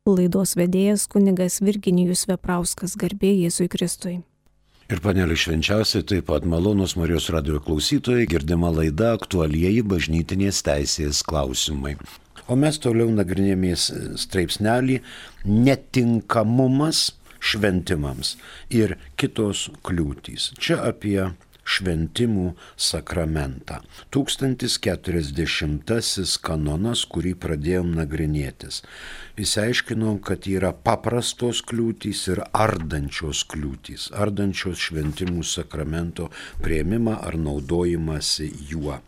Laidos vedėjas kunigas Virginijus Veprauskas, garbė Jėzui Kristui. Ir panelė švenčiausiai, taip pat malonūs Marijos radijo klausytojai, girdima laida aktualieji bažnytinės teisės klausimai. O mes toliau nagrinėjame straipsnelį netinkamumas šventimams ir kitos kliūtys. Čia apie šventimų sakramentą. 1040 kanonas, kurį pradėjom nagrinėtis. Įsiaiškinom, kad yra paprastos kliūtys ir ardančios kliūtys, ardančios šventimų sakramento priėmimą ar naudojimąsi juo.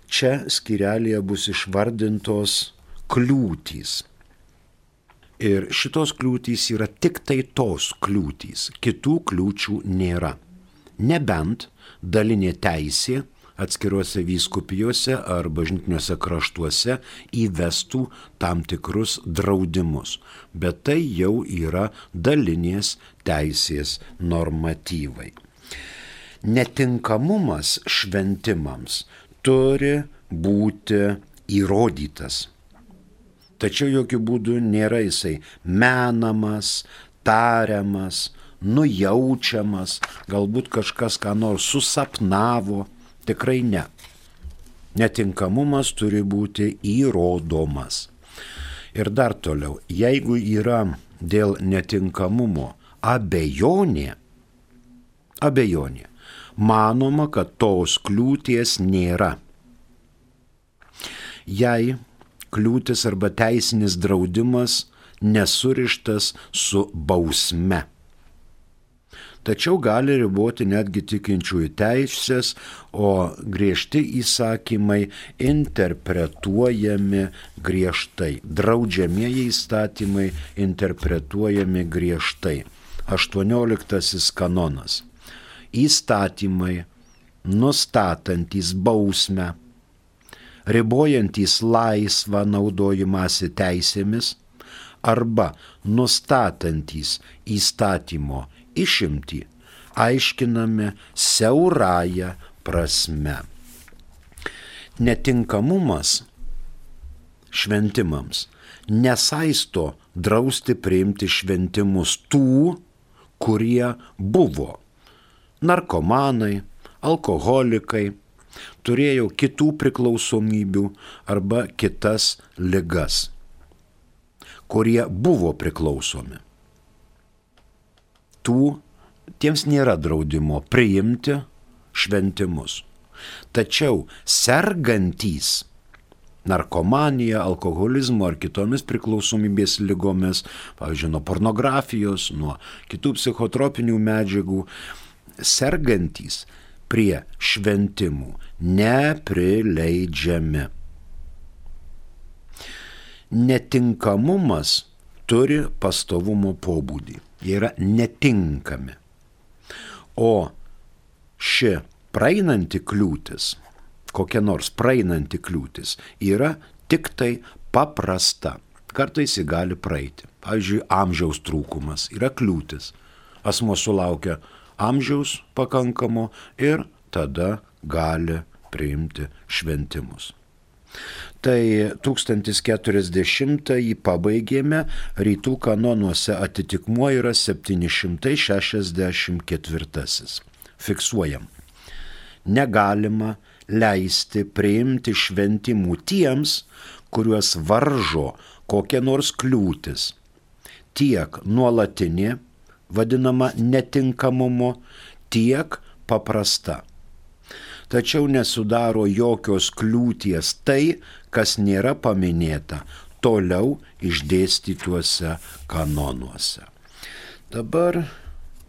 Čia skyrelėje bus išvardintos kliūtys. Ir šitos kliūtys yra tik tai tos kliūtys, kitų kliūčių nėra. Nebent dalinė teisė atskiruose vyskupijose ar bažnytiniuose kraštuose įvestų tam tikrus draudimus. Bet tai jau yra dalinės teisės normatyvai. Netinkamumas šventimams turi būti įrodytas. Tačiau jokių būdų nėra jisai menamas, tariamas, nujaučiamas, galbūt kažkas ką nors susapnavo, tikrai ne. Netinkamumas turi būti įrodomas. Ir dar toliau, jeigu yra dėl netinkamumo abejonė, manoma, kad tos kliūties nėra. Jei kliūtis arba teisinis draudimas nesurištas su bausme. Tačiau gali riboti netgi tikinčiųjų teisės, o griežti įsakymai interpretuojami griežtai. Draudžiamieji įstatymai interpretuojami griežtai. 18 kanonas. Įstatymai nustatantys bausmę, ribojantys laisvą naudojimąsi teisėmis arba nustatantys įstatymo išimtį aiškinami siaurąja prasme. Netinkamumas šventimams nesaisto drausti priimti šventimus tų, kurie buvo narkomanai, alkoholikai, turėjo kitų priklausomybių arba kitas ligas, kurie buvo priklausomi. Tiems nėra draudimo priimti šventimus. Tačiau sergantys narkomanija, alkoholizmo ar kitomis priklausomybės ligomis, pavyzdžiui, nuo pornografijos, nuo kitų psichotropinių medžiagų, sergantys prie šventimų neprileidžiami. Netinkamumas turi pastovumo pobūdį. Jie yra netinkami. O ši praeinanti kliūtis, kokia nors praeinanti kliūtis, yra tik tai paprasta. Kartais ji gali praeiti. Pavyzdžiui, amžiaus trūkumas yra kliūtis. Asmuo sulaukia amžiaus pakankamo ir tada gali priimti šventimus. Tai 1040 pabaigėme, rytų kanonuose atitikmuo yra 764. Fiksuojam. Negalima leisti priimti šventimų tiems, kuriuos varžo kokia nors kliūtis. Tiek nuolatinė, vadinama netinkamumo, tiek paprasta. Tačiau nesudaro jokios kliūties tai, kas nėra paminėta toliau išdėstytuose kanonuose. Dabar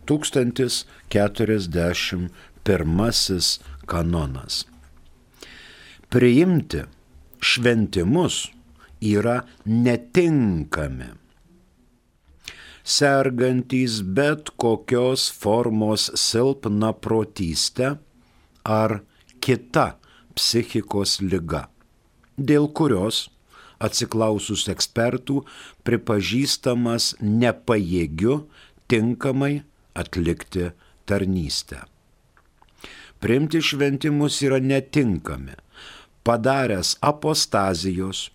1041 kanonas. Priimti šventimus yra netinkami. Sergantys bet kokios formos silpnaprotystę ar kita psichikos liga, dėl kurios, atsiklausus ekspertų, pripažįstamas nepajėgiu tinkamai atlikti tarnystę. Priimti šventimus yra netinkami, padaręs apostazijos,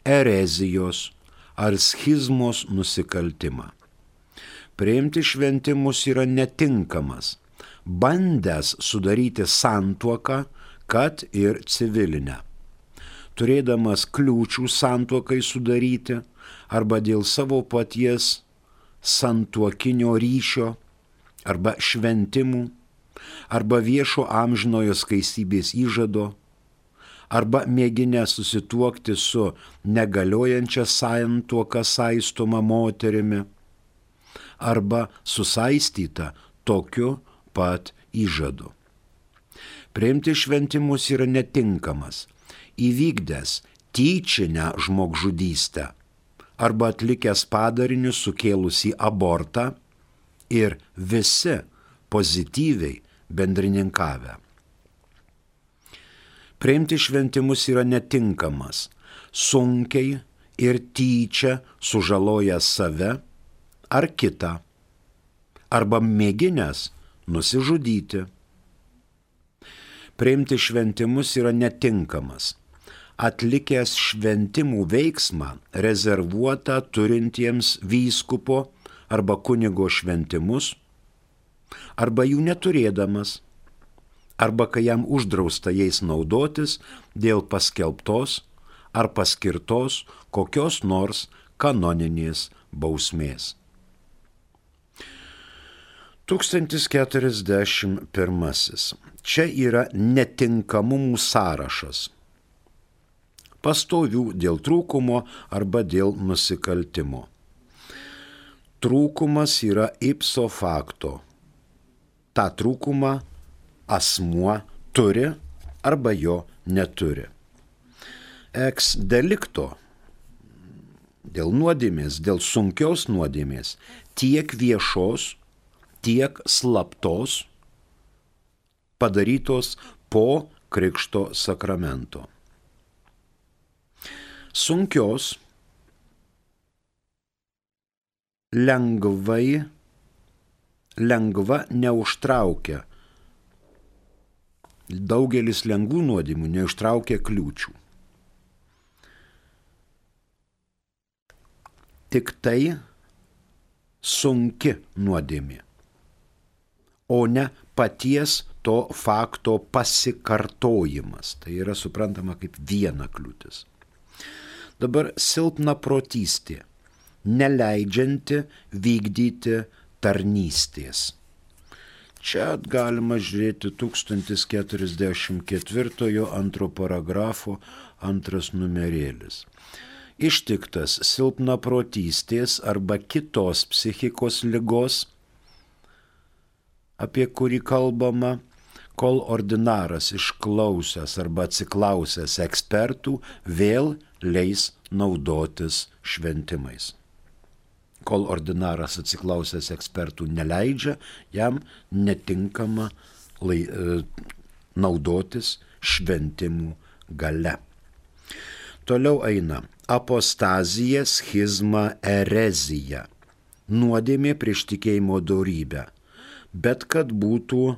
erezijos ar schizmos nusikaltimą. Priimti šventimus yra netinkamas, bandęs sudaryti santuoką, kad ir civilinę. Turėdamas kliūčių santuokai sudaryti arba dėl savo paties santuokinio ryšio arba šventimų, arba viešo amžinojo skaistybės įžado, arba mėginę susituokti su negaliojančia santuoka saistoma moterimi, arba susaistyta tokiu pat įžadu. Priimti šventimus yra netinkamas, įvykdęs tyčinę žmogžudystę arba atlikęs padarinius sukėlusį abortą ir visi pozityviai bendrininkavę. Priimti šventimus yra netinkamas, sunkiai ir tyčia sužalojęs save ar kitą, arba mėginęs nusižudyti. Priimti šventimus yra netinkamas, atlikęs šventimų veiksmą rezervuotą turintiems vyskupo arba kunigo šventimus, arba jų neturėdamas, arba kai jam uždrausta jais naudotis dėl paskelbtos ar paskirtos kokios nors kanoninės bausmės. 1041. Čia yra netinkamumų sąrašas. Pastovių dėl trūkumo arba dėl nusikaltimo. Trūkumas yra ipso facto. Ta trūkumą asmuo turi arba jo neturi. Ex delicto, dėl nuodėmės, dėl sunkios nuodėmės, tiek viešos, tiek slaptos, padarytos po krikšto sakramento. Sunkios, lengva neužtraukia. Daugelis lengvų nuodėmių neužtraukia kliūčių. Tik tai sunki nuodėmė, o ne paties to fakto pasikartojimas. Tai yra suprantama kaip viena kliūtis. Dabar silpna protystė, neleidžianti vykdyti tarnystės. Čia galima žiūrėti 1044 antro paragrafo 2 numerėlis. Ištiktas silpna protystės arba kitos psichikos ligos, apie kurį kalbama, kol ordinaras išklausęs arba atsiklausęs ekspertų vėl leis naudotis šventimais. Kol ordinaras atsiklausęs ekspertų neleidžia, jam netinkama naudotis šventimų gale. Toliau eina apostazija, schizma, erezija. Nuodėmė prieš tikėjimo dorybę, bet kad būtų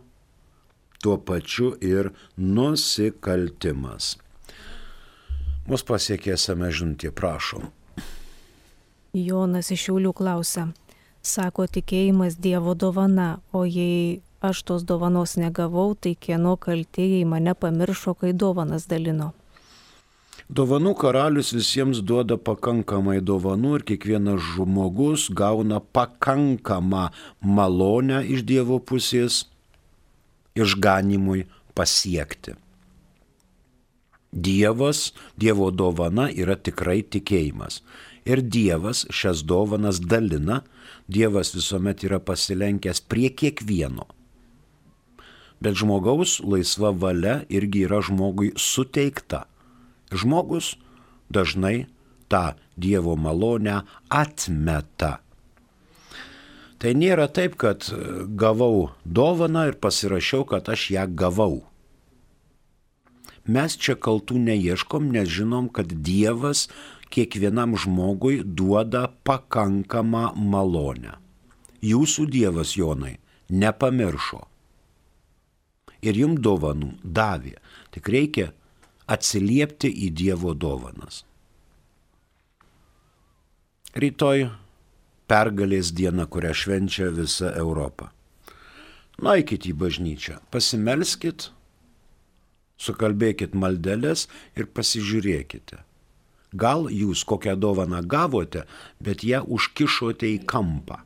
tuo pačiu ir nusikaltimas. Mus pasiekė SMS žinutė, prašom. Jonas iš Šiaulių klausia, sako tikėjimas Dievo dovana, o jei aš tos dovanos negavau, tai kieno kaltė, jei mane pamiršo, kai dovanas dalino? Dovanų karalius visiems duoda pakankamai dovanų ir kiekvienas žmogus gauna pakankamą malonę iš Dievo pusės išganimui pasiekti. Dievo dovana yra tikrai tikėjimas. Ir Dievas šias dovanas dalina, Dievas visuomet yra pasilenkęs prie kiekvieno. Bet žmogaus laisva valia irgi yra žmogui suteikta. Žmogus dažnai tą Dievo malonę atmeta. Tai nėra taip, kad gavau dovaną ir pasirašiau, kad aš ją gavau. Mes čia kaltų neieškom, nes žinom, kad Dievas kiekvienam žmogui duoda pakankamą malonę. Jūsų Dievas, Jonai, nepamiršo. Ir jums dovanų davė. Tik reikia atsiliepti į Dievo dovanas. Rytoj pergalės diena, kurią švenčia visa Europa. Nueikit į bažnyčią, pasimelskit, sukalbėkit maldeles ir pasižiūrėkite. Gal jūs kokią dovaną gavote, bet ją užkišote į kampą.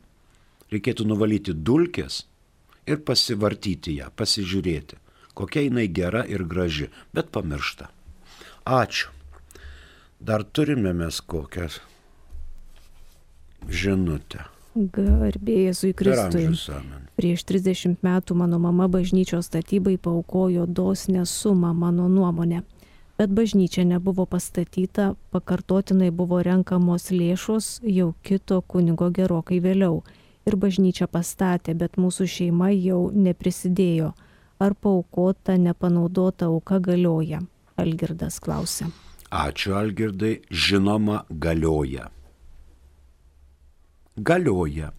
Reikėtų nuvalyti dulkes ir pasivartyti ją, pasižiūrėti, kokia jinai gera ir graži, bet pamiršta. Ačiū. Dar turime mes kokią žinutę. Garbė Jėzui Kristui. Prieš 30 metų mano mama bažnyčios statybai paaukojo dosnią sumą, mano nuomonė. Bet bažnyčia nebuvo pastatyta, pakartotinai buvo renkamos lėšos jau kito kunigo gerokai vėliau. Ir bažnyčia pastatė, bet mūsų šeima jau neprisidėjo. Ar paaukota, nepanaudota auka galioja? Algirdas klausia. Ačiū, Algirdai. Žinoma, galioja. Galioja,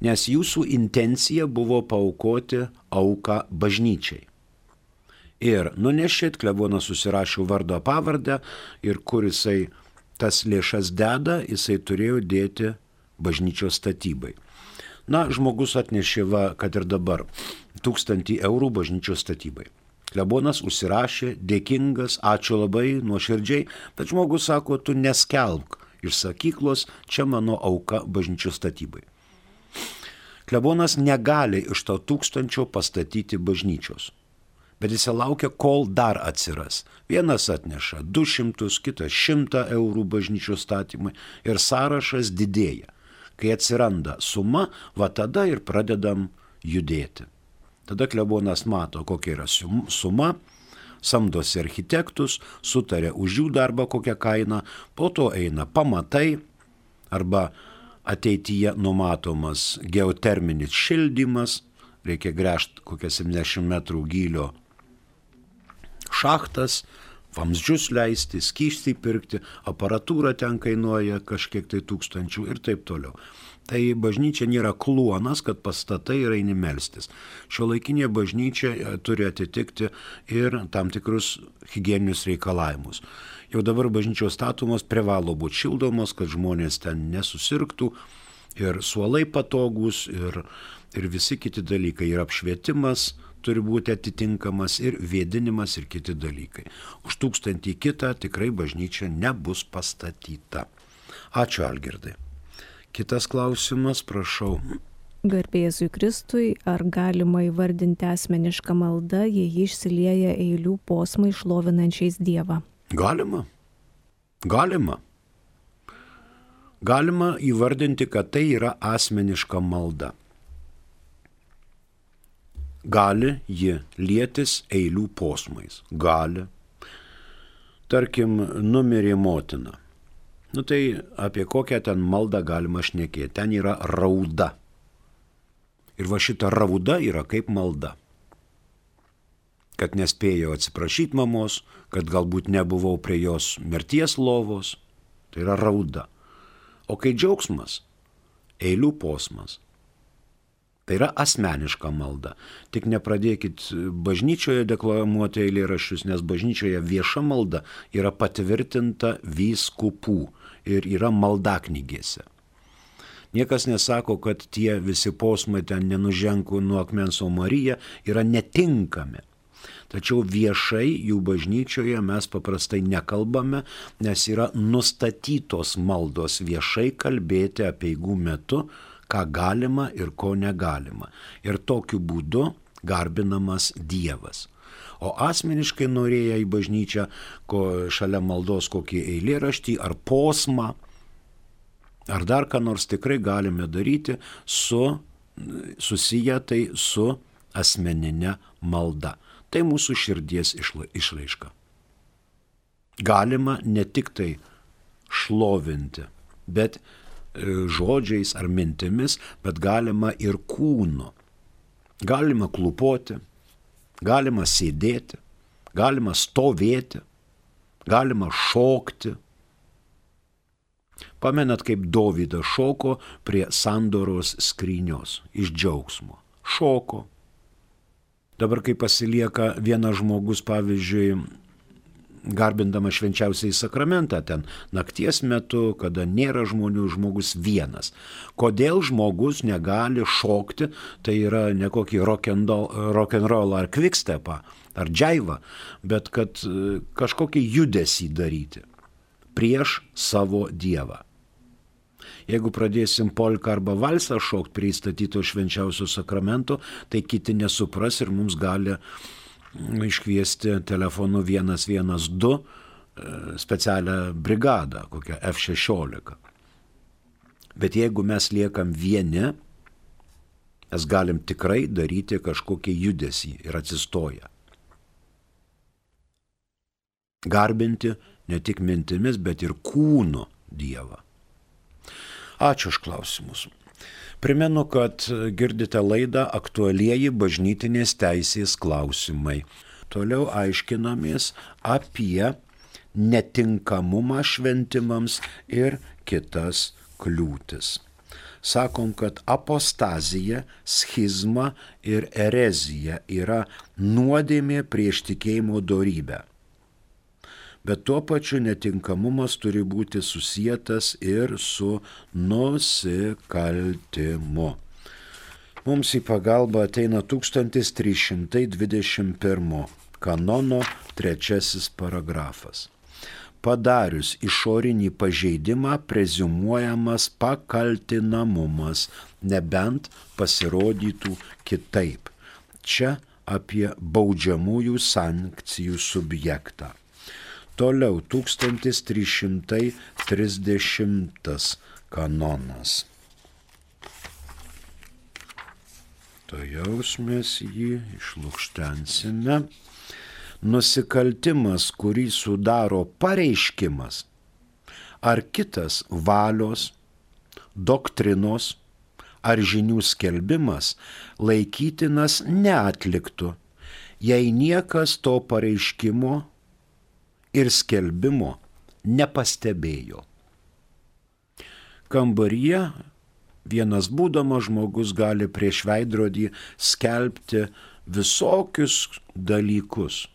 nes jūsų intencija buvo paaukoti auką bažnyčiai. Ir nunešėt, klebonas susirašė vardo pavardę ir kur jisai tas lėšas deda, jisai turėjo dėti bažnyčios statybai. Na, žmogus atnešė, kad ir dabar, 1000 eurų bažnyčios statybai. Klebonas užsirašė, dėkingas, ačiū labai, nuoširdžiai, bet žmogus sako, tu neskelbk iš sakyklos, čia mano auka bažnyčios statybai. Klebonas negali iš to 1000 pastatyti bažnyčios, bet jis laukia, kol dar atsiras. Vienas atneša 200, kitas 100 eurų bažnyčios statymai ir sąrašas didėja. Kai atsiranda suma, tada ir pradedam judėti. Tada klebonas mato, kokia yra suma, samdosi architektus, sutarė už jų darbą kokią kainą, po to eina pamatai arba ateityje numatomas geoterminis šildymas, reikia gręžti kokią 70 metrų gylio šachtas, vamzdžius leisti, skystį pirkti, aparatūra ten kainuoja kažkiek tai 1000 ir taip toliau. Tai bažnyčia nėra kluonas, kad pastatai ir eini melstis. Šiuolaikinė bažnyčia turi atitikti ir tam tikrus higieninius reikalavimus. Jau dabar bažnyčios statomos privalo būti šildomos, kad žmonės ten nesusirgtų, ir suolai patogus, ir visi kiti dalykai. Ir apšvietimas turi būti atitinkamas, ir vėdinimas, ir kiti dalykai. Už 1000 kitą tikrai bažnyčia nebus pastatyta. Ačiū, Algirdai. Kitas klausimas, prašau. Garbė Jėzui Kristui, ar galima įvardinti asmenišką maldą, jei ji išsilieja eilių posmai šlovinančiais Dievą? Galima. Galima įvardinti, kad tai yra asmeniška malda. Gali ji lietis eilių posmais. Gali. Tarkim, numirė motina. Tai apie kokią ten maldą galima šnekėti. Ten yra rauda. Ir va šita rauda yra kaip malda. Kad nespėjau atsiprašyti mamos, kad galbūt nebuvau prie jos mirties lovos. Tai yra rauda. O kai džiaugsmas, eilių posmas. Tai yra asmeniška malda. Tik nepradėkit bažnyčioje deklamuoti eilėraščius, nes bažnyčioje vieša malda yra patvirtinta vyskupų ir yra maldaknygėse. Niekas nesako, kad tie visi posmai ten nenuženkų nuo akmens, o Marija yra netinkami. Tačiau viešai jų bažnyčioje mes paprastai nekalbame, nes yra nustatytos maldos viešai kalbėti apeigų metu, ką galima ir ko negalima. Ir tokiu būdu garbinamas Dievas. O asmeniškai norėję į bažnyčią, šalia maldos kokį eilėraštį ar posmą, ar dar ką nors tikrai galime daryti susiję tai su asmeninė malda. Tai mūsų širdies išraiška. Galima ne tik tai šlovinti, bet žodžiais ar mintimis, bet galima ir kūnu. Galima klupoti, galima sėdėti, galima stovėti, galima šokti. Pamenat, kaip Dovydas šoko prie sandoros skrynios iš džiaugsmo. Šoko. Dabar, kai pasilieka vienas žmogus, pavyzdžiui, garbindama švenčiausiai sakramentą, ten nakties metu, kada nėra žmonių, žmogus vienas. Kodėl žmogus negali šokti, tai yra ne kokį rock'n'roll ar quickstepą, ar džaivą, bet kad kažkokį judesį daryti prieš savo Dievą. Jeigu pradėsim polką arba valsą šokti prie įstatyto švenčiausio sakramento, tai kiti nesupras ir mums gali iškviesti telefonu 112 specialią brigadą, kokią F-16. Bet jeigu mes liekam vieni, mes galim tikrai daryti kažkokį judesį ir atsistoję. Garbinti ne tik mintimis, bet ir kūnu Dievą. Ačiū už klausimus. Primenu, kad girdite laidą Aktualieji bažnytinės teisės klausimai. Toliau aiškinamės apie netinkamumą šventimams ir kitas kliūtis. Sakom, kad apostazija, schizma ir erezija yra nuodėmė prieš tikėjimo dorybę. Bet tuo pačiu netinkamumas turi būti susietas ir su nusikaltimu. Mums į pagalbą ateina 1321 kanono 3 paragrafas. Padarius išorinį pažeidimą preziumuojamas pakaltinamumas, nebent pasirodytų kitaip. Čia apie baudžiamųjų sankcijų subjektą. Toliau 1330 kanonas. Tuojaus mes jį išlukštensime. Nusikaltimas, kurį sudaro pareiškimas ar kitas valios, doktrinos ar žinių skelbimas, laikytinas neatliktu, jei niekas to pareiškimo ir skelbimo nepastebėjo. Kambaryje vienas būdamas žmogus gali prieš veidrodį skelbti visokius dalykus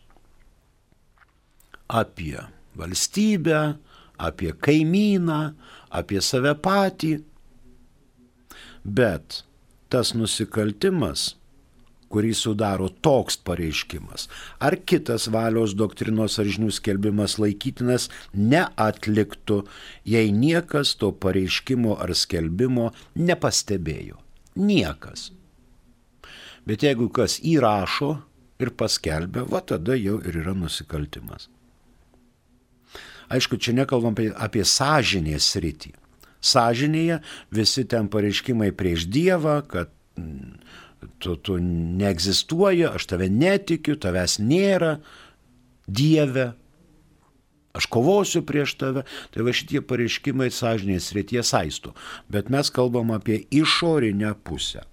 apie valstybę, apie kaimyną, apie save patį. Bet tas nusikaltimas, kurį sudaro toks pareiškimas, ar kitas valios, doktrinos ar žinių skelbimas laikytinas neatliktų, jei niekas to pareiškimo ar skelbimo nepastebėjo. Niekas. Bet jeigu kas įrašo ir paskelbia, va tada jau ir yra nusikaltimas. Aišku, čia nekalbam apie sąžinės sritį. Sąžinėje visi ten pareiškimai prieš Dievą, kad tu neegzistuoji, aš tave netikiu, tavęs nėra, Dieve, aš kovosiu prieš tave. Tai va šitie pareiškimai sąžinės srityje saisto. Bet mes kalbam apie išorinę pusę.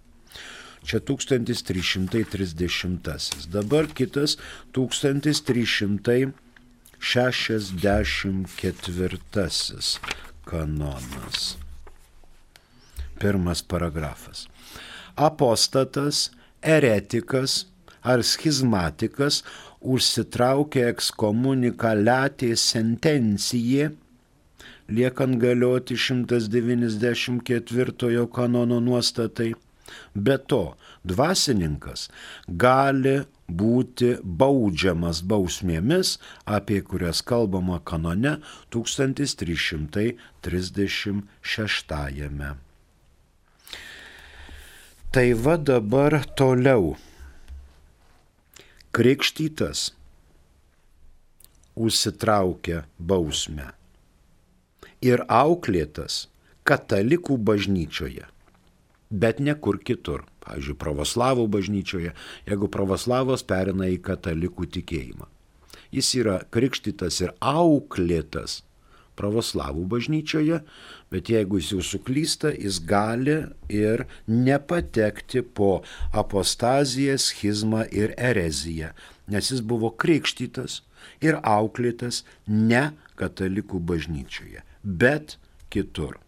Čia 1330. Dabar kitas 1364 kanonas. 1 paragrafas. Apostatas, eretikas ar schizmatikas užsitraukia ekskomunikaliatė sentencija, liekant galioti 194 kanono nuostatai. Be to, dvasininkas gali būti baudžiamas bausmėmis, apie kurias kalbama kanone 1336. Tai va dabar toliau. Krikštytas užsitraukia bausmę ir auklėtas katalikų bažnyčioje, bet ne kur kitur. Pavyzdžiui, pravoslavų bažnyčioje, jeigu pravoslavas perina į katalikų tikėjimą. Jis yra krikštytas ir auklėtas pravoslavų bažnyčioje, bet jeigu jis jau suklysta, jis gali ir nepatekti po apostaziją, schizmą ir ereziją, nes jis buvo krikštytas ir auklėtas ne katalikų bažnyčioje, bet kitur.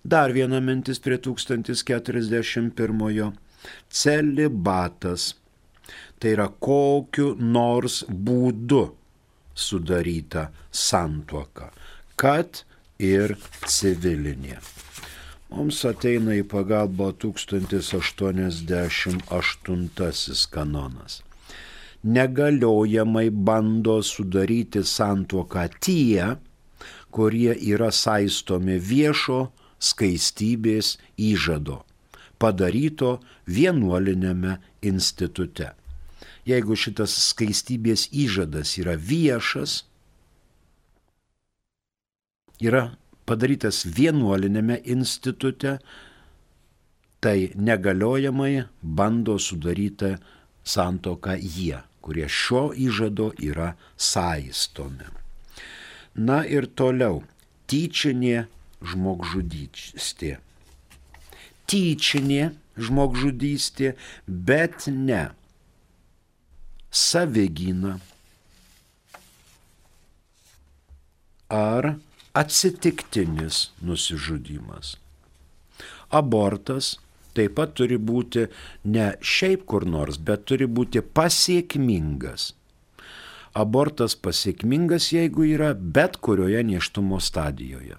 Dar viena mintis prie 1041. Celibatas. Tai yra kokiu nors būdu sudaryta santuoka, kad ir civilinė. Mums ateina į pagalbą 1088 kanonas. Negaliojamai bando sudaryti santuoką tie, kurie yra saistomi viešo skaistybės įžado, padaryto vienuolinėme institute. Jeigu šitas skaistybės įžadas yra viešas, yra padarytas vienuolinėme institute, tai negaliojamai bando sudaryti santuoką jie, kurie šio įžado yra saistomi. Na ir toliau, tyčinė žmogžudystė. Tyčinė žmogžudystė, bet ne savigyna ar atsitiktinis nusižudymas. Abortas taip pat turi būti ne šiaip kur nors, bet turi būti pasiekmingas. Abortas pasiekmingas, jeigu yra bet kurioje nėštumo stadijoje.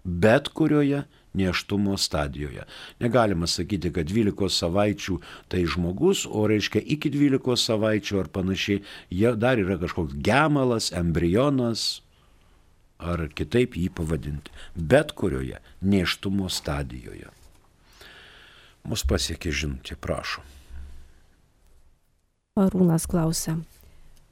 Bet kurioje nėštumo stadijoje. Negalima sakyti, kad 12 savaičių tai žmogus, o reiškia iki 12 savaičių ar panašiai, dar yra kažkoks gemalas, embrionas, ar kitaip jį pavadinti. Bet kurioje nėštumo stadijoje. Mus pasiekė žinutė, prašom. Arūnas klausia.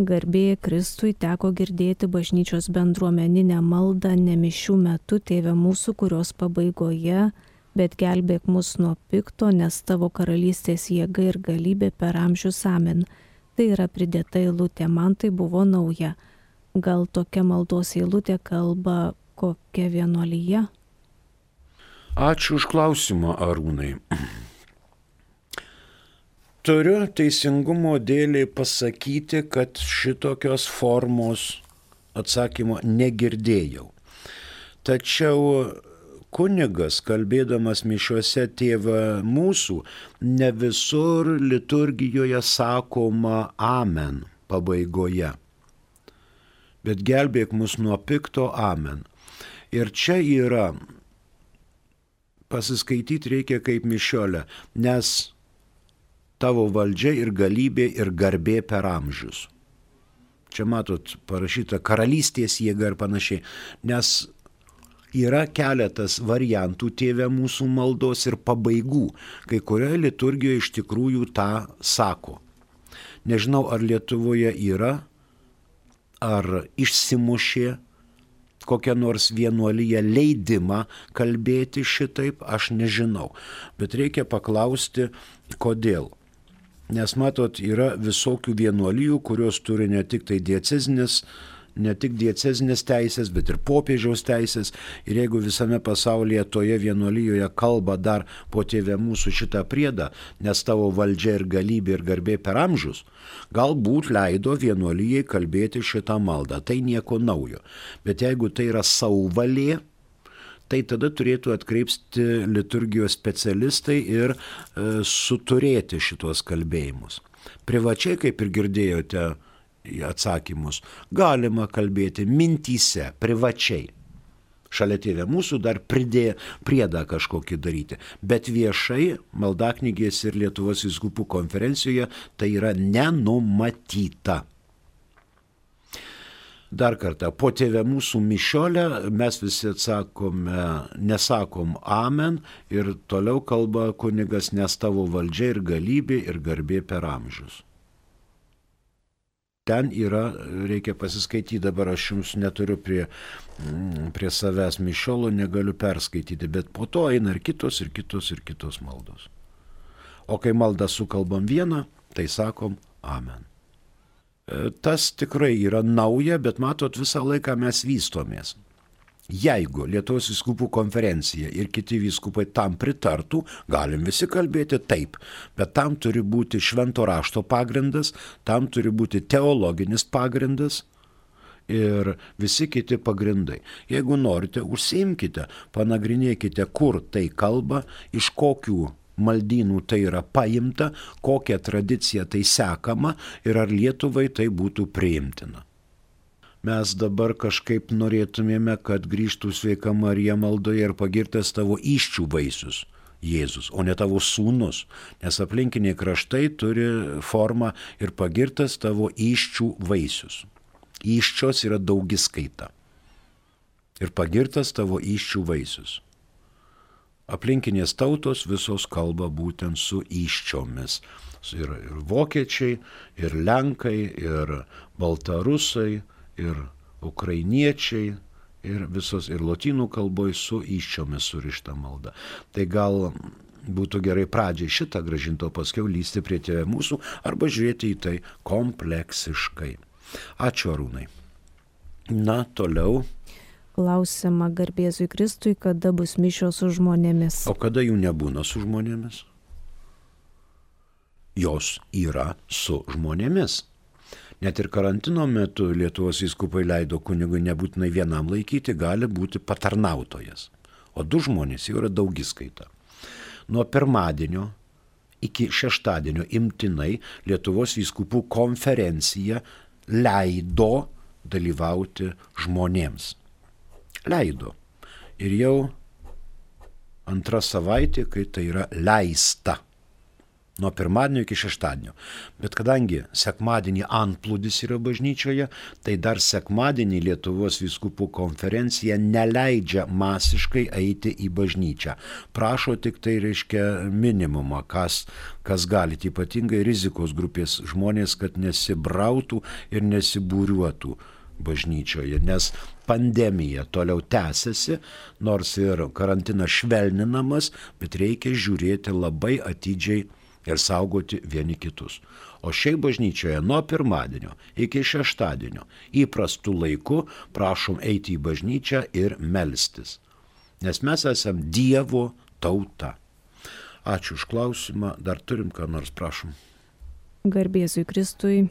Garbė Kristui, teko girdėti bažnyčios bendruomeninę maldą ne mišių metu, Tėve mūsų, kurios pabaigoje, bet gelbėk mus nuo pikto, nes tavo karalystės jėga ir galybė per amžius amen. Tai yra pridėta eilutė, man tai buvo nauja. Gal tokia maldos eilutė kalba kokia vienuolija? Ačiū už klausimą, Arūnai. Turiu teisingumo dėliai pasakyti, kad šitokios formos atsakymo negirdėjau. Tačiau kunigas, kalbėdamas mišiuose Tėvą mūsų, ne visur liturgijoje sakoma amen pabaigoje. Bet gelbėk mus nuo pikto amen. Ir čia yra, pasiskaityti reikia kaip mišiolę, nes tavo valdžia ir galybė ir garbė per amžius. Čia matot parašyta karalystės jėga ir panašiai, nes yra keletas variantų Tėve mūsų maldos ir pabaigų, kai kurioje liturgijoje iš tikrųjų tą sako. Nežinau, ar Lietuvoje yra, ar išsimušė kokią nors vienuoliją leidimą kalbėti šitaip, aš nežinau. Bet reikia paklausti, kodėl. Nes matot, yra visokių vienuolijų, kurios turi ne tik diecezinės teisės, bet ir popiežiaus teisės. Ir jeigu visame pasaulyje toje vienuolijoje kalba dar po Tėve mūsų šitą priedą, nes tavo valdžia ir galybė ir garbė per amžius, galbūt leido vienuolijai kalbėti šitą maldą. Tai nieko naujo. Bet jeigu tai yra sauvalė, tai tada turėtų atkreipti liturgijos specialistai ir suturėti šitos kalbėjimus. Privačiai, kaip ir girdėjote atsakymus, galima kalbėti mintyse, privačiai. Šalia Tėve mūsų dar priedą kažkokį daryti. Bet viešai maldaknygės ir Lietuvos vyskupų konferencijoje tai yra nenumatyta. Dar kartą, po Tėve mūsų mišiolę mes visi nesakom amen ir toliau kalba kunigas, nes tavo valdžia ir galybė ir garbė per amžius. Ten yra, reikia pasiskaityti, dabar aš jums neturiu prie savęs mišiolo, negaliu perskaityti, bet po to eina ir kitos maldos. O kai maldą sukalbam vieną, tai sakom amen. Tas tikrai yra nauja, bet matot, visą laiką mes vystomės. Jeigu Lietuvos vyskupų konferencija ir kiti vyskupai tam pritartų, galim visi kalbėti taip, bet tam turi būti švento rašto pagrindas, tam turi būti teologinis pagrindas ir visi kiti pagrindai. Jeigu norite, užsiimkite, panagrinėkite, kur tai kalba, iš kokių maldynų tai yra paimta, kokią tradiciją tai sekama ir ar Lietuvai tai būtų priimtina. mes dabar kažkaip norėtumėme, kad grįžtų sveika Marija maldoje ir pagirtas tavo įsčių vaisius, Jėzus, o ne tavo sūnus, nes aplinkiniai kraštai turi formą ir pagirtas tavo įsčių vaisius. Įsčios yra daugiskaita. Ir pagirtas tavo įsčių vaisius. Aplinkinės tautos visos kalba būtent su įsčiomis. Ir vokiečiai, ir lenkai, ir baltarusai, ir ukrainiečiai, ir visos, ir lotynų kalboje su įsčiomis surišta malda. Tai gal būtų gerai pradžiai šitą grąžinti, o paskiau lysti prie Tėve mūsų arba žiūrėti į tai kompleksiškai. Ačiū, Arūnai. Na, toliau. Klausiama garbėzui Kristui, kada bus mišios su žmonėmis. O kada jų nebūna su žmonėmis? Jos yra su žmonėmis. Net ir karantino metu Lietuvos vyskupai leido kunigui nebūtinai vienam laikyti, gali būti patarnautojas. O 2 žmonės jau yra daugiskaita. Nuo pirmadienio iki šeštadienio imtinai Lietuvos vyskupų konferencija leido dalyvauti žmonėms. Leido. Ir jau 2 savaitė, kai tai yra leista. Nuo pirmadienio iki šeštadienio. Bet kadangi sekmadienį antplūdis yra bažnyčioje, tai dar sekmadienį Lietuvos vyskupų konferencija neleidžia masiškai eiti į bažnyčią. Prašo tik tai, reiškia, minimumą, kas galite, ypatingai rizikos grupės žmonės, kad nesibrautų ir nesibūriuotų bažnyčioje, nes pandemija toliau tęsiasi, nors ir karantinas švelninamas, bet reikia žiūrėti labai atidžiai ir saugoti vieni kitus. O šiaip bažnyčioje nuo pirmadienio iki šeštadienio įprastų laikų prašom eiti į bažnyčią ir melstis, nes mes esam Dievo tauta. Ačiū už klausimą, dar turim ką nors, prašom. Garbėzui Kristui,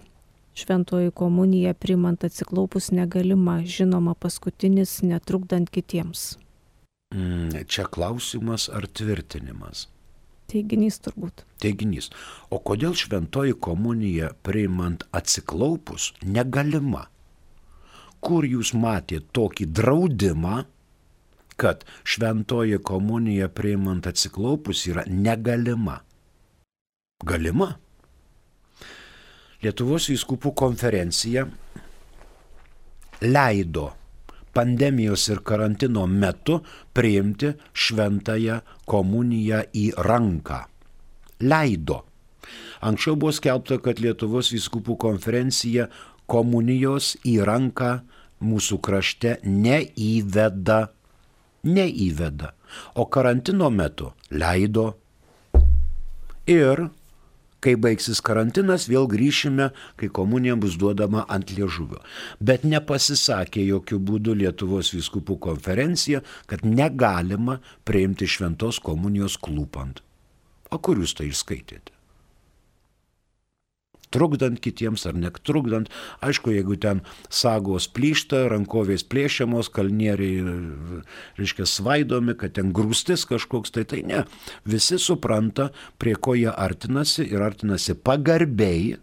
šventoji komunija priimant atsiklaupus negalima, žinoma paskutinis netrukdant kitiems. Čia klausimas ar tvirtinimas? Teiginys turbūt. Teiginys. O kodėl šventoji komunija priimant atsiklaupus negalima? Kur jūs matėte tokį draudimą, kad šventoji komunija priimant atsiklaupus yra negalima? Galima. Lietuvos vyskupų konferencija leido pandemijos ir karantino metu priimti šventąją komuniją į ranką. Leido. Anksčiau buvo skelbta, kad Lietuvos vyskupų konferencija komunijos į ranką mūsų krašte neįveda. O karantino metu leido. Ir kai baigsis karantinas, vėl grįšime, kai komunija bus duodama ant liežuvio. Bet nepasisakė jokių būdų Lietuvos vyskupų konferencija, kad negalima priimti šventos komunijos klūpant. O kur jūs tai išskaitėte? Trukdant kitiems ar netrukdant. Aišku, jeigu ten sagos plyšta, rankovės plėšiamos, kalnieriai, reiškia, svaidomi, kad ten grūstis kažkoks, tai ne. Visi supranta, prie ko jie artinasi ir artinasi pagarbiai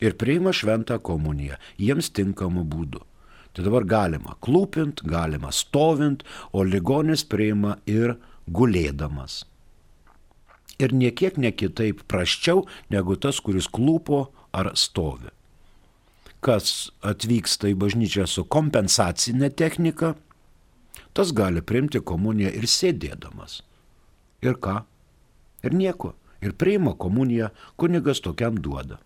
ir priima šventą komuniją jiems tinkamu būdu. Tai dabar galima klūpint, galima stovint, o ligonis priima ir gulėdamas. Ir niekiek ne kitaip prasčiau negu tas, kuris klūpo ar stovi. Kas atvyksta į bažnyčią su kompensacinė technika, tas gali priimti komuniją ir sėdėdamas. Ir ką? Ir nieko. Ir priima komuniją, kunigas tokiam duoda.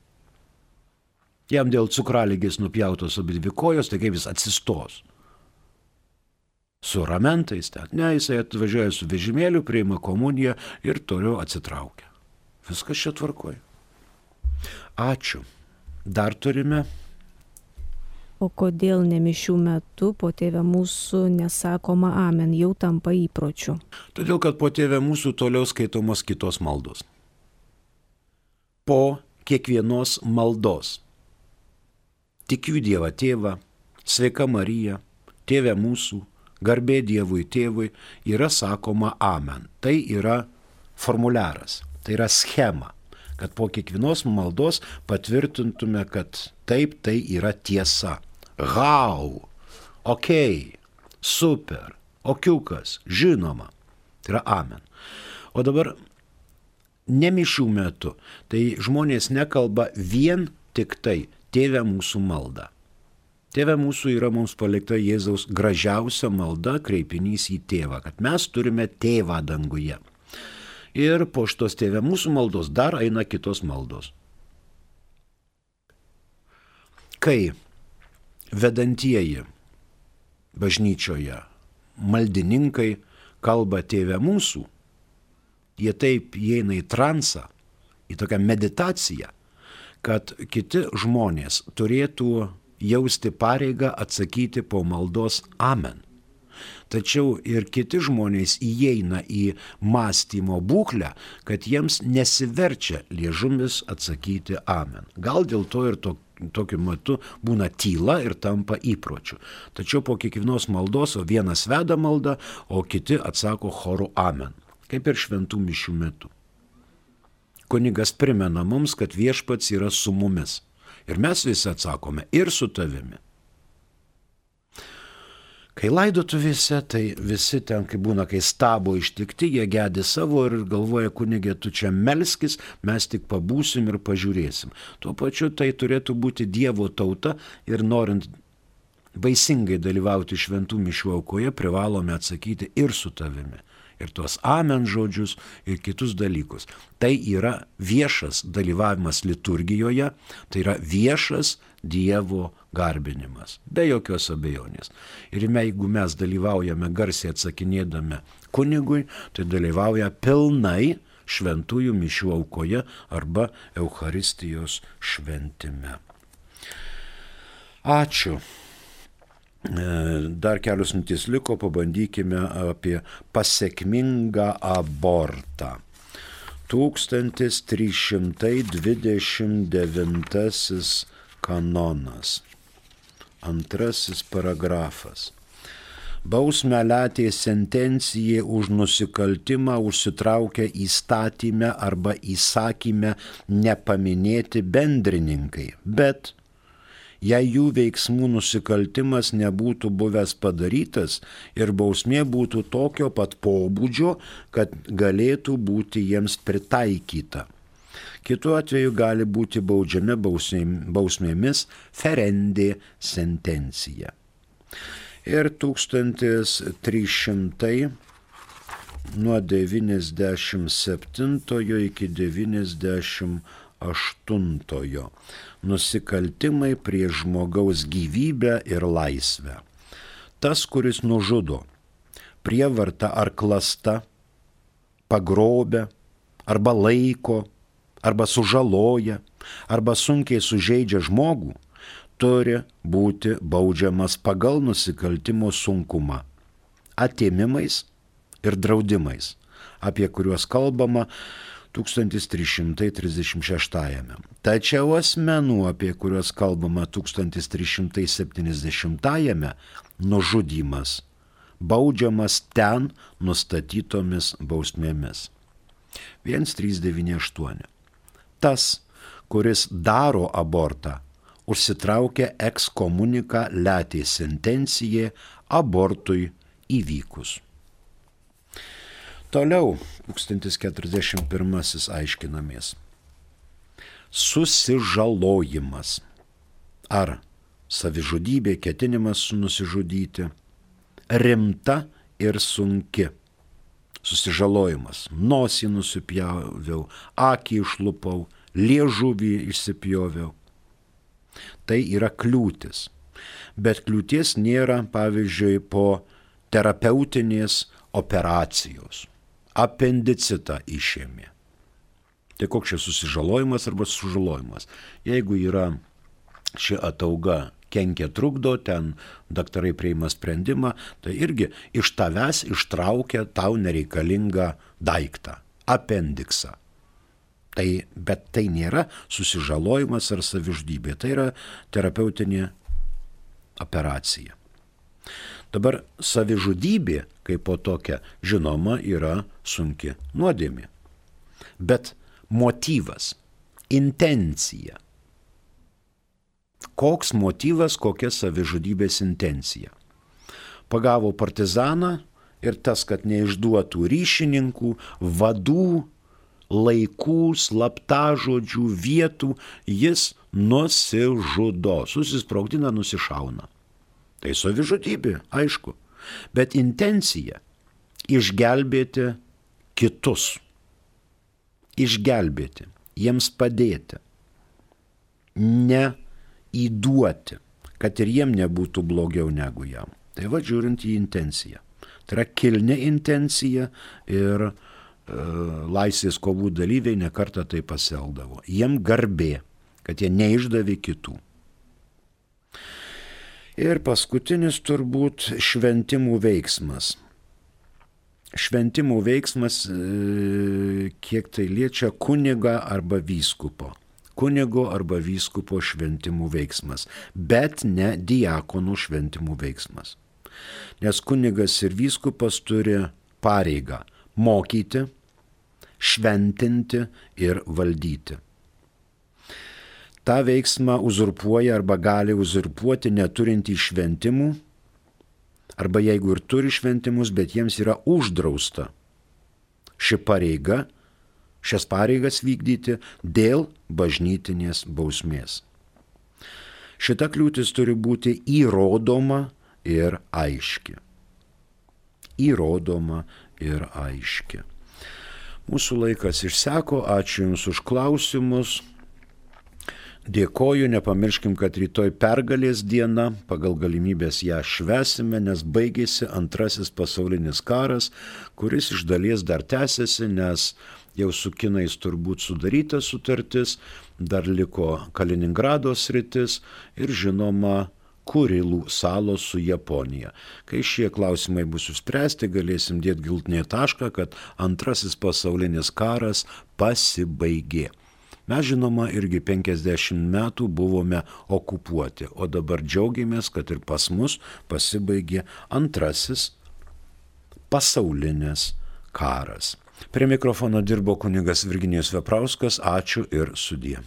Jam dėl cukraligės nupjautos abidvi kojos, tai kaip jis atsistos. Su ramentais ten. Ne, jisai atvažiuoja su vežimėliu, priima komuniją ir toliau atsitraukia. Viskas čia tvarkoja. Ačiū. Dar turime. O kodėl ne mišių metu po Tėve mūsų nesakoma amen, jau tampa įpročiu? Todėl, kad po Tėve mūsų toliau skaitomos kitos maldos. Po kiekvienos maldos. Tikiu Dievą Tėvą, sveika Marija, Tėve mūsų, garbė Dievui Tėvui, yra sakoma amen. Tai yra formuliaras, tai yra schema, kad po kiekvienos maldos patvirtintume, kad taip tai yra tiesa. Hau, okei, super, okiukas, žinoma. Tai yra amen. O dabar ne mišių metu, tai žmonės nekalba vien tik tai Tėve mūsų malda. Tėve mūsų yra mums palikta Jėzaus gražiausia malda, kreipinys į tėvą, kad mes turime tėvą danguje. Ir po šitos Tėve mūsų maldos dar eina kitos maldos. Kai vedantieji bažnyčioje maldininkai kalba Tėve mūsų, jie taip įeina į transą, į tokią meditaciją, kad kiti žmonės turėtų jausti pareigą atsakyti po maldos amen. Tačiau ir kiti žmonės įeina į mąstymo būklę, kad jiems nesiverčia liežumis atsakyti amen. Gal dėl to ir tokiu metu būna tyla ir tampa įpročiu. Tačiau po kiekvienos maldos, o vienas veda maldą, o kiti atsako choru amen. Kaip ir šventų mišių metu. Kunigas primena mums, kad viešpats yra su mumis. Ir mes visi atsakome ir su tavimi. Kai laidotuvėse, tai visi ten, kai būna, kai stabo ištikti, jie gedi savo ir galvoja, kunigė, tu čia melskis, mes tik pabūsim ir pažiūrėsim. Tuo pačiu tai turėtų būti Dievo tauta ir norint vaisingai dalyvauti šventų mišių aukoje, privalome atsakyti ir su tavimi. Ir tuos amen žodžius ir kitus dalykus. Tai yra viešas dalyvavimas liturgijoje, tai yra viešas Dievo garbinimas, be jokios abejonės. Ir jeigu mes dalyvaujame garsiai atsakinėdami kunigui, tai dalyvauja pilnai šventųjų mišių aukoje arba Eucharistijos šventime. Ačiū. Dar kelios minutės liko, pabandykime apie pasekmingą abortą. 1329 kanonas. 2 paragrafas. Bausmę letė sentencijai už nusikaltimą užsitraukia įstatyme arba įsakyme nepaminėti bendrininkai, bet jei jų veiksmų nusikaltimas nebūtų buvęs padarytas ir bausmė būtų tokio pat pobūdžio, kad galėtų būti jiems pritaikyta. Kitu atveju gali būti baudžiami bausmėmis ferendė sentencija. Ir 1300 nuo 97 iki 98 nusikaltimai prieš žmogaus gyvybę ir laisvę. Tas, kuris nužudo, prievarta ar klasta, pagrobia, arba laiko, arba sužaloja, arba sunkiai sužeidžia žmogų, turi būti baudžiamas pagal nusikaltimo sunkumą, atėmimais ir draudimais, apie kuriuos kalbama 1336. Tačiau asmenų, apie kuriuos kalbama 1370, nužudymas baudžiamas ten nustatytomis bausmėmis. 1398. Tas, kuris daro abortą, užsitraukia ekskomuniką letė sentencijai abortui įvykus. Toliau 1041 aiškinamės. Susižalojimas. Ar savižudybė, ketinimas nusižudyti, rimta ir sunki. Susižalojimas. Nosį nusipjoviau, akį išlupau, liežuvį išsipjoviau. Tai yra kliūtis. Bet kliūties nėra, pavyzdžiui, po terapeutinės operacijos. Apendicitą išėmė. Tai koks čia susižalojimas arba sužalojimas? Jeigu yra ši atauga kenkia trukdo, ten daktarai priima sprendimą, tai irgi iš tavęs ištraukia tau nereikalingą daiktą, apendiksą. Bet tai nėra susižalojimas ar savižudybė, tai yra terapeutinė operacija. Dabar savižudybė, kaip po tokia, žinoma, yra sunki nuodėmė. Bet motyvas, intencija Koks motyvas, kokia savižudybės intencija. Pagavo partizaną ir tas, kad neišduotų ryšininkų, vadų, laikų, slaptažodžių, vietų, jis nusižudo, susisprogdina, nusišauna. Tai savižudybė, aišku, bet intencija išgelbėti kitus, išgelbėti, jiems padėti, ne įduoti, kad ir jiem nebūtų blogiau negu jam. Tai va, žiūrint į intenciją. Tai yra kilni intencija ir laisvės kovų dalyviai nekartą tai pasielgdavo. Jiem garbė, kad jie neišdavė kitų. Ir paskutinis turbūt šventimų veiksmas. Šventimų veiksmas, kiek tai liečia kunigą arba vyskupo. Kunigo arba vyskupo šventimų veiksmas, bet ne diakonų šventimų veiksmas. Nes kunigas ir vyskupas turi pareigą mokyti, šventinti ir valdyti. Ta veiksmą uzurpuoja arba gali uzurpuoti neturintį šventimų, arba jeigu ir turi šventimus, bet jiems yra uždrausta ši pareiga, šias pareigas vykdyti dėl bažnytinės bausmės. Šita kliūtis turi būti įrodoma ir aiški. Įrodoma ir aiški. Mūsų laikas išseko, ačiū Jums už klausimus. Dėkoju, nepamirškim, kad rytoj pergalės diena, pagal galimybės ją švęsime, nes baigėsi Antrasis pasaulinis karas, kuris iš dalies dar tęsiasi, nes jau su kinais turbūt sudaryta sutartis, dar liko Kaliningrado sritis ir žinoma Kurilų salos su Japonija. Kai šie klausimai bus išspręsti, galėsim dėti galutinį tašką, kad Antrasis pasaulinis karas pasibaigė. Mes žinoma irgi 50 metų buvome okupuoti, o dabar džiaugiamės, kad ir pas mus pasibaigė Antrasis pasaulinis karas. Prie mikrofono dirbo kunigas Virginijus Veprauskas, ačiū ir sudie.